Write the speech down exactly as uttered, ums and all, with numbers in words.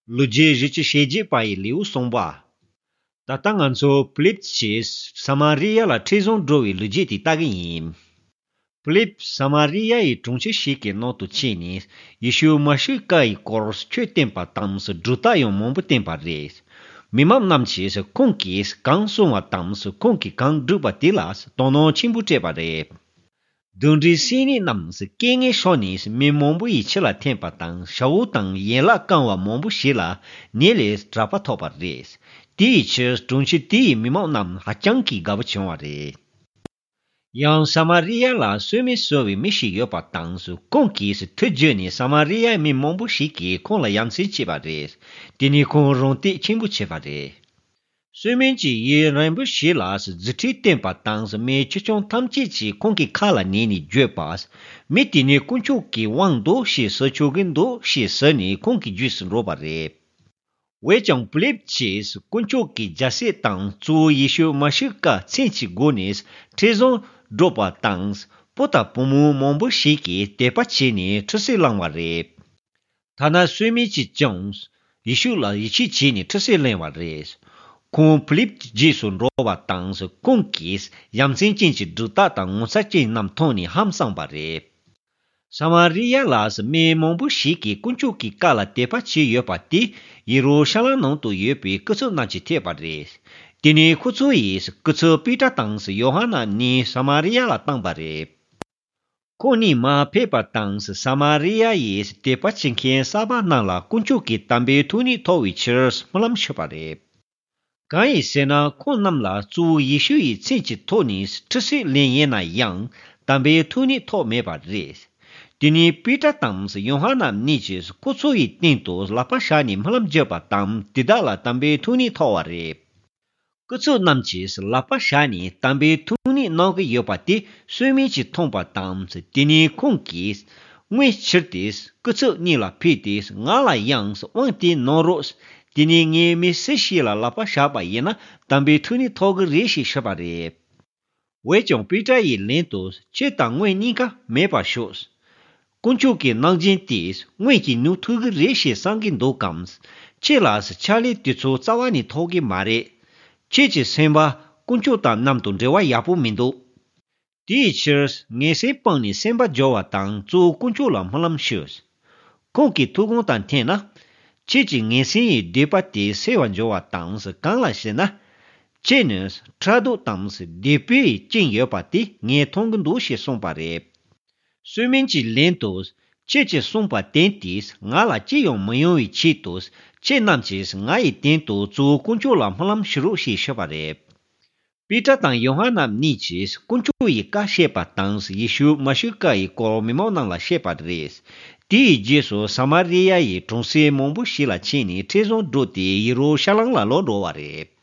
ལོ་རྒྱུས་བཞི་བཅུ་ཞེ་བརྒྱད་པ་ཡི་ལེའུ་གསུངས་པ། ད་ལྟ་ང་ཚོ་ཕི་ལིབ་ཀྱིས་ས་མ་རི་ཡ་ལ་ཁྲིད་བཟུང་འགྲོ་བའི་ལོ་རྒྱུས་དེ་ལྟ་གི་ཡིན། ཕི་ལིབ་ས་མ་རི་ཡ་ཡི་གྲོང་ཁྱེར་ཞིག་གི་ནང་དུ་ཕྱིན་ནས་ཡེ་ཤུ་མ་ཤི་ཀ་ཡི་སྐོར་ཆོས་བསྟན་པ་དང་སྒྲུབ་རྟགས་ཡང་མང་པོ་བསྟན་པ་རེད། མི་མང་རྣམས་ཀྱིས་ཁོང་གིས་གང་གསུང་བ་དང་ཁོང་གིས་གང་བསྒྲུབས་པ་དེ་ལ་དོ་སྣང་ཆེན་པོ་སྤྲད་པ་རེད། གདོན་འདྲེ་སྲིན་ནད་རྣམས་སྐད་ངན་ཤོར་ནས་མི་མང་པོ་ཡི་ཁྱི་ལ་འཐེན་པ་དང་ཞ་བོ་དང་ཡན་ལག་བཀང་བ་མང་པོ་ཞིག་ལ་ནད་ལས་དྲག་པ་ཐོབ་པ་རེད། དེ་ཡི་ཕྱིར་གྲོང་ཁྱེར་དེ་ཡི་མི་མང་རྣམས་ཧ་ཅང་གི་དགའ་པོ་བྱུང་བ་རེད། ཡང་ས་མ་རི་ཡ་ལ་གསོད་མི་གསོ་བའི་མི་ཞིག་ཡོད་པ་དང་ཁོང་གིས་མཐུ་བརྗོད་ནས་ས་མ་རི་ཡའི་མི་མང་པོ་ཞིག་གིས་ཁོང་ལ་ཡ་མཚན་སྐྱེས་པ་རེད། དེ་ནས་ཁོང་རང་སྟེགས་ཆེན་པོ་བྱས་པ་རེད། གསོད་མིན་གྱི་ཡུལ་རིང་པོ་ཞིག་ལ་རྫུ་འཕྲུལ་བསྟན་པ་དང་མི་ཆེ་ཆུང་ཐམས་ཅད་ཀྱིས་ཁོང་གི་ཁ་ལ་ཉན་ནས་བརྗོད་པ། མི་དེ་ནི་དཀོན་མཆོག་གི་དབང་འདུག་ཞེས་ཟེར་ཆོག་གི་འདུག་ཞེས་ཟེར་ནས་ཁོང་གི་རྗེས་སུ་འགྲོ་བ་རེད། འོན་ཀྱང་ཕི་ལིབ་ཀྱིས་དཀོན་མཆོག་གི་རྒྱལ་སྲིད་དང་གཙོ་བོ་ཡེ་ཤུ་མ་ཤི་ཀ་མཚན་གྱི་སྒོ་ནས་ཁྲིད་བཟུང་འགྲོ་བ་དང་བུ་དང་བུ་མོ་མང་པོ་ཞིག་གིས་དད་པ་བྱས་ནས་ཁྲུས་གསོལ་བླངས་པ་རེད། ཐ་ན་གསོད་མི་གཅིག་ཀྱང་ཡེ་ཤུ་ལ་ཡིད་ཆེས་བྱས་ནས་ཁྲུས་གསོལ་གླེང་བ་རེད། ཁོང་ཕི་ལིབ་ཀྱི་རྗེས་སུ་འགྲོ་བ་དང་ཁོང་གིས་ཡ་མཚན་ཅན་གྱི་སྒྲུབ་རྟགས་དང་ངོ་མཚར་ཅན་རྣམས་མཐོང་ནས་ཧང་སངས་པ་རེད། ས་མ་རི་ཡ་ལ་མི་མང་པོ་ཞིག་གིས་དཀོན་མཆོག་གི་བཀའ་ལ་དད་པ་བྱས་ཡོད་པ་དེ་ཡེ་རུ་ཤ་ལམ་ནང་དུ་ཡོད་པའི་སྐུ་ཚབ་རྣམས་ཀྱིས་ཐོས་པ་རེད། དེ་ནས་ཁོ་ཚོ་ཡིས་སྐུ་ཚབ་པེ་ཏྲ་དང་ཡོ་ཧ་ནན་གཉིས་ས་མ་རི་ཡ་ལ་བཏང་པ་རེད། ཁོང་གཉིས་མར་ཕེབས་པ་དང་ས་མ་རི་ཡ་ཡི་དད་པ་བྱེད་མཁན་གསར་པ་རྣམས་ལ་དཀོན་མཆོག་གི་དམ་པའི་ཐུགས་ཉིད་ཐོབ་པའི་ཕྱིར་སྨོན་ལམ་ཞུས་པ་རེད། གང་ཡིན་ཟེར་ན་ཁོང་རྣམས་ལ་གཙོ་བོ་ཡེ་ཤུ་ཡི་མཚན་གྱི་ཐོག་ནས་ཁྲུས་གསོལ་ལེན་ཡིན་ན་ཡང་དམ་པའི་ཐུགས་ཉིད་ཐོབ་མེད་པ་རེད། དེ་ནས་པེ་ཏྲ་དང་ཡོ་ཧ་ནན་གཉིས་ཀྱིས་ཁོ་ཚོ་ཡི་སྟེང་དུ་ལག་པ་བཞག་ནས་སྨོན་ལམ་བརྒྱབ་པ་དང་དེ་དག་ལ་དམ་པའི་ཐུགས་ཉིད་ཐོབ་པ་རེད། སྐུ་ཚབ་རྣམས་ཀྱིས་ལག་པ་བཞག་ནས་དམ་པའི་ཐུགས་ཉིད་གནང་གི་ཡོད་པ་དེ་གསོད་མིན་གྱིས་མཐོང་པ་དང་དེ་ནས་ཁོང་གིས་དངུལ་ཁྱེར་ཏེ་སྐུ་ཚབ་གཉིས་ལ་ཕུལ་ཏེ་ང་ལ་ཡང་དབང་དེ་གནང་རོགས། དེ་ནས་ངས་མི་སུ་ཞིག་ལ་ལག་པ་བཞག་པ་ཡིན་ན་དམ་པའི་ཐུགས་ཉིད་ཐོབ་གི་རེད་ཞེས་ཞུས་པ་རེད། འོན་ཀྱང་པེ་ཏྲ་ཡིས་ལན་དུ་ཁྱེད་དང་དངུལ་གཉིས་ཀ་མེད་པར་ཤོག་དཀོན་མཆོག་གི་གནང་སྦྱིན་དེས་དངུལ་གྱིས་ཉོ་ཐུབ་ཀྱི་རེད་ཞེས་བསམ་གྱི་འདུག་གམ། ཁྱེད་ལ་ཕྱག་ལས་དེ་ཚོ་རྩ་བ་ནས་ཐོབ་ཀྱི་མ་རེད། ཁྱེད་ཀྱི་སེམས་པ་དཀོན་མཆོག་དང་མཉམ་དུ་འབྲེལ་བ་ཡག་པོ་མི་འདུག་དེའི་ཕྱིར་ངན་སེམས་སྤངས་ནས་སེམས་པ་སྦྱོར་བ་དང་གཙོ་བོ་དཀོན་མཆོག་ལ་སྨོན་ལམ་ཞུ། ཁོང་གི་ཐུགས་དགོངས་དང་མཐུན་ན། ཁྱེད་ཀྱི་ངན་སེམས་ཡི་སྡིག་པ་དེ་སེལ་བར་འགྱུར་བ་དང་གང་ལ་ཞེ་ན། ཁྱེད་ནི་ཕྲག་དོག་དང་སྡིག་པའི་རྐྱེན་ཡོད་པ་དེ་ངས་མཐོང་གི་འདུག་ཞེས་གསུངས་པ་རེད། གསོད་མིན་གྱི་ལན་དུ། ཁྱེད་ཀྱིས་གསུངས་པ་དེ་དེས་ང་ལ་ཅི་ཡང་མི་ཡོང་བའི་ཆེད་དུ་ཁྱེད་རྣམས་ཀྱིས་ང་ཡི་སྟེང་དུ་གཙོ་བོ་དཀོན་མཆོག་ལ་སྨོན་ལམ་ཞུ་རོགས་ཞེས་ཞུས་པ་རེད། པེ་ཏྲ་དང་ཡོ་ཧ་ནན་གཉིས་ཀྱིས་དཀོན་མཆོག་ཡི་བཀའ་བཤད་པ་དང་ཡེ་ཤུ་མ་ཤི་ཀ་ཡི་སྐོར་མི་མང་རྣམས་ལ་བཤད་པ་རེད། དེའི་རྗེས་སུ་ས་མ་རི་ཡ་ཡི་གྲོང་གསེབ་མང་པོ་ཞིག་ལ་ཕྱིན་ནས་ཁྲིད་བཟུང་འགྲོ་སྟེ་ཡེ་རུ་ཤ་ལམ་ལ་ལོག་འགྲོ་བ་རེད།